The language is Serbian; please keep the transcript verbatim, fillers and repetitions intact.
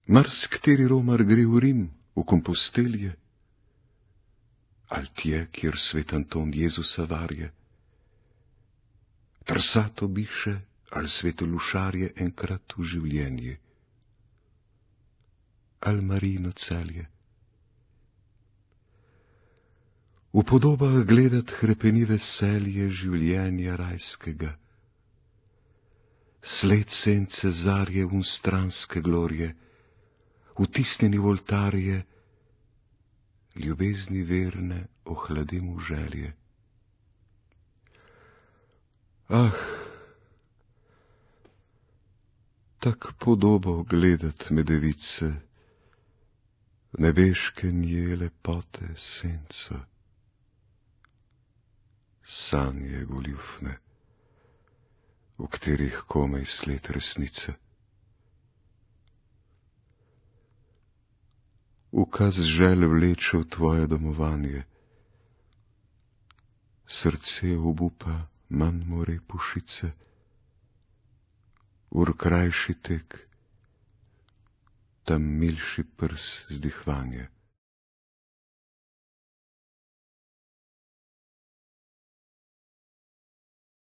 Marsikateri romar gre v Rim, v Kompostelje, ali tje, kjer svet Anton Jezusa varje. Trsato biše, ali svete Lušarje enkrat v življenje, ali Marijino Celje. V podobah gledat hrepeni veselje življenja rajskega, sled sence zarje unstranske glorje, vtisnjeni v oltarje, ljubezni verne ohladim v želje. Ah, tak podobo gledat me device, nebeške nje lepote senca, sanje goljufne, v katerih komaj sled resnice. Ukaz želj vleče v tvoje domovanje, srce obupa manj more pušice, ur krajši tek, tam milši prs zdihvanje.